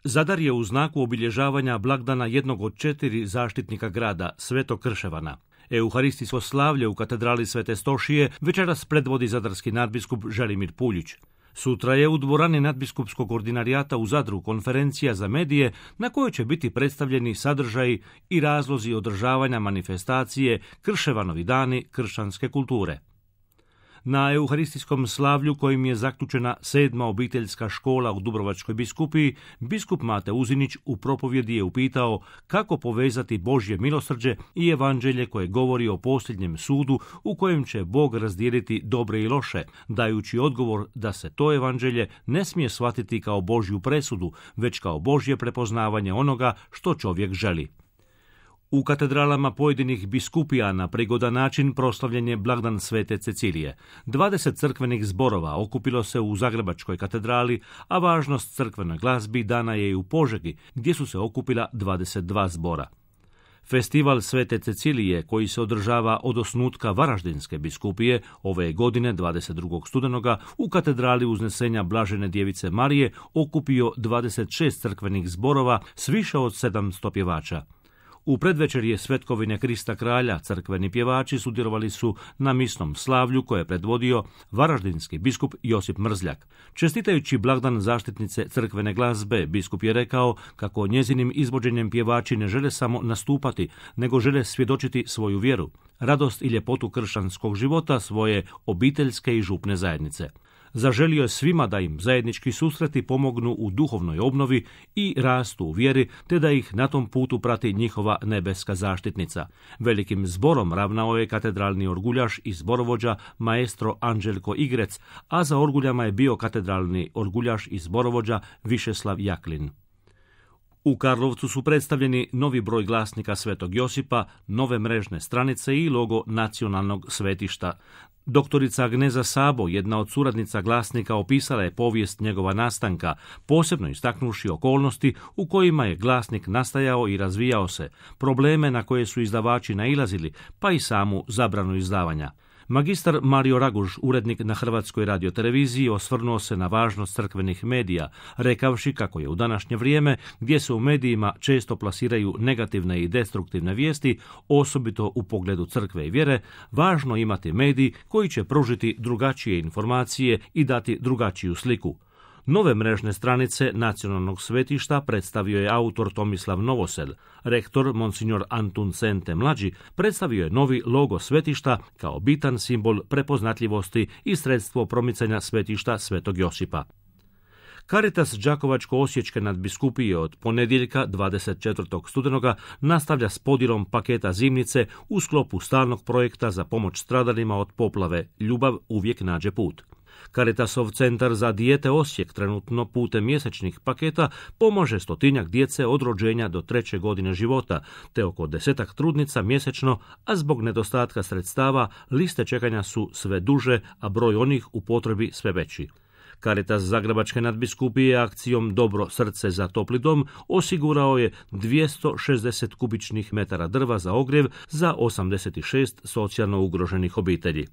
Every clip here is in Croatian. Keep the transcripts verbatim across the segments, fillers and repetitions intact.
Zadar je u znaku obilježavanja blagdana jednog od četiri zaštitnika grada, Svetog Krševana. Euharistijsko slavlje u katedrali Svete Stošije večeras predvodi zadarski nadbiskup Želimir Puljić. Sutra je u dvorani nadbiskupskog ordinarijata u Zadru konferencija za medije na kojoj će biti predstavljeni sadržaji i razlozi održavanja manifestacije Krševanovi dani kršćanske kulture. Na euharistijskom slavlju kojim je zaključena sedma obiteljska škola u Dubrovačkoj biskupiji, biskup Mate Uzinić u propovjedi je upitao kako povezati Božje milosrđe i evanđelje koje govori o posljednjem sudu u kojem će Bog razdijeliti dobre i loše, dajući odgovor da se to evanđelje ne smije shvatiti kao Božju presudu, već kao Božje prepoznavanje onoga što čovjek želi. U katedralama pojedinih biskupija na prigodan način proslavljen je blagdan Svete Cecilije. dvadeset crkvenih zborova okupilo se u Zagrebačkoj katedrali, a važnost crkvenoj glazbi dana je i u Požegi, gdje su se okupila dvadeset dva zbora. Festival Svete Cecilije, koji se održava od osnutka Varaždinske biskupije, ove godine dvadeset drugog studenoga u katedrali Uznesenja Blažene Djevice Marije okupio dvadeset šest crkvenih zborova s više od sedamsto pjevača. U predvečerje Svetkovine Krista Kralja crkveni pjevači sudjelovali su na misnom slavlju koje je predvodio varaždinski biskup Josip Mrzljak. Čestitajući blagdan zaštitnice crkvene glazbe, biskup je rekao kako njezinim izvođenjem pjevači ne žele samo nastupati, nego žele svjedočiti svoju vjeru, radost i ljepotu kršćanskog života svoje obiteljske i župne zajednice. Zaželio je svima da im zajednički susreti pomognu u duhovnoj obnovi i rastu u vjeri, te da ih na tom putu prati njihova nebeska zaštitnica. Velikim zborom ravnao je katedralni orguljaš i zborovođa maestro Anđelko Igrec, a za orguljama je bio katedralni orguljaš i zborovođa Višeslav Jaklin. U Karlovcu su predstavljeni novi broj glasnika Svetog Josipa, nove mrežne stranice i logo nacionalnog svetišta. Doktorica Agneza Sabo, jedna od suradnica glasnika, opisala je povijest njegova nastanka, posebno istaknuši okolnosti u kojima je glasnik nastajao i razvijao se, probleme na koje su izdavači nailazili, pa i samu zabranu izdavanja. Magistar Mario Raguž, urednik na Hrvatskoj radioteleviziji, osvrnuo se na važnost crkvenih medija, rekavši kako je u današnje vrijeme, gdje se u medijima često plasiraju negativne i destruktivne vijesti, osobito u pogledu crkve i vjere, važno imati medij koji će pružiti drugačije informacije i dati drugačiju sliku. Nove mrežne stranice nacionalnog svetišta predstavio je autor Tomislav Novosel. Rektor Monsignor Antun Sente mlađi predstavio je novi logo svetišta kao bitan simbol prepoznatljivosti i sredstvo promicanja svetišta Svetog Josipa. Caritas Đakovačko-osječke nadbiskupije od ponedjeljka dvadeset četvrtog studenoga nastavlja s podjelom paketa zimnice u sklopu stalnog projekta za pomoć stradalima od poplave Ljubav uvijek nađe put. Caritasov centar za dijete Osijek trenutno putem mjesečnih paketa pomaže stotinjak djece od rođenja do treće godine života, te oko desetak trudnica mjesečno, a zbog nedostatka sredstava liste čekanja su sve duže, a broj onih u potrebi sve veći. Caritas Zagrebačke nadbiskupije akcijom Dobro srce za topli dom osigurao je dvjesto šezdeset kubičnih metara drva za ogrjev za osamdeset šest socijalno ugroženih obitelji.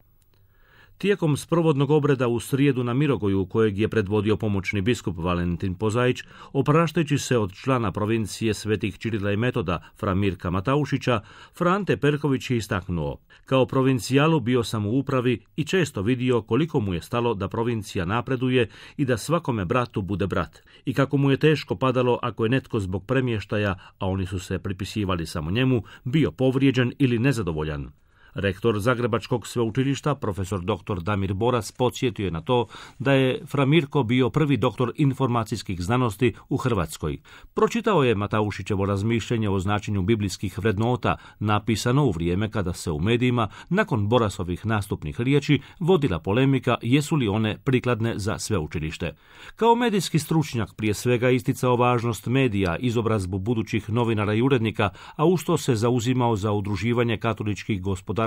Tijekom sprovodnog obreda u srijedu na Mirogoju, kojeg je predvodio pomoćni biskup Valentin Pozaić, opraštajući se od člana provincije Svetih Čirila i Metoda, fra Mirka Mataušića, Frante Perković je istaknuo: kao provincijalu bio sam u upravi i često vidio koliko mu je stalo da provincija napreduje i da svakome bratu bude brat, i kako mu je teško padalo ako je netko zbog premještaja, a oni su se pripisivali samo njemu, bio povrijeđen ili nezadovoljan. Rektor Zagrebačkog sveučilišta, profesor doktor Damir Boras, podsjetio je na to da je fra Mirko bio prvi doktor informacijskih znanosti u Hrvatskoj. Pročitao je Mataušićevo razmišljenje o značenju biblijskih vrednota, napisano u vrijeme kada se u medijima, nakon Borasovih nastupnih riječi, vodila polemika jesu li one prikladne za sveučilište. Kao medijski stručnjak prije svega isticao važnost medija, izobrazbu budućih novinara i urednika, a uz to se zauzimao za udruživanje katoličkih gospodarstva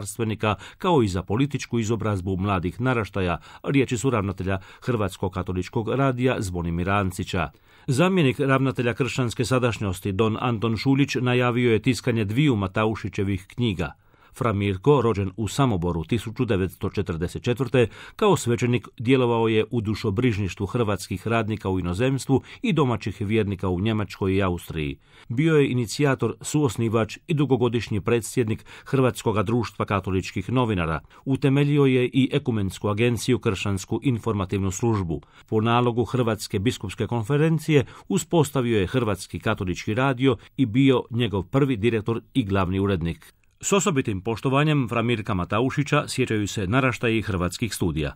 kao i za političku izobrazbu mladih naraštaja, riječi su ravnatelja Hrvatskog katoličkog radija Zvonimira Ancića. Zamjenik ravnatelja kršćanske sadašnjosti don Anton Šuljić najavio je tiskanje dviju Mataušićevih knjiga. Fra Mirko, rođen u Samoboru tisuću devetsto četrdeset četvrte. kao svećenik djelovao je u dušobrižništvu hrvatskih radnika u inozemstvu i domaćih vjernika u Njemačkoj i Austriji. Bio je inicijator, suosnivač i dugogodišnji predsjednik Hrvatskog društva katoličkih novinara. Utemeljio je i Ekumensku agenciju Kršćansku informativnu službu. Po nalogu Hrvatske biskupske konferencije uspostavio je Hrvatski katolički radio i bio njegov prvi direktor i glavni urednik. S osobitim poštovanjem Fra Mirka Mataušića sjećaju se naraštaji Hrvatskih studija.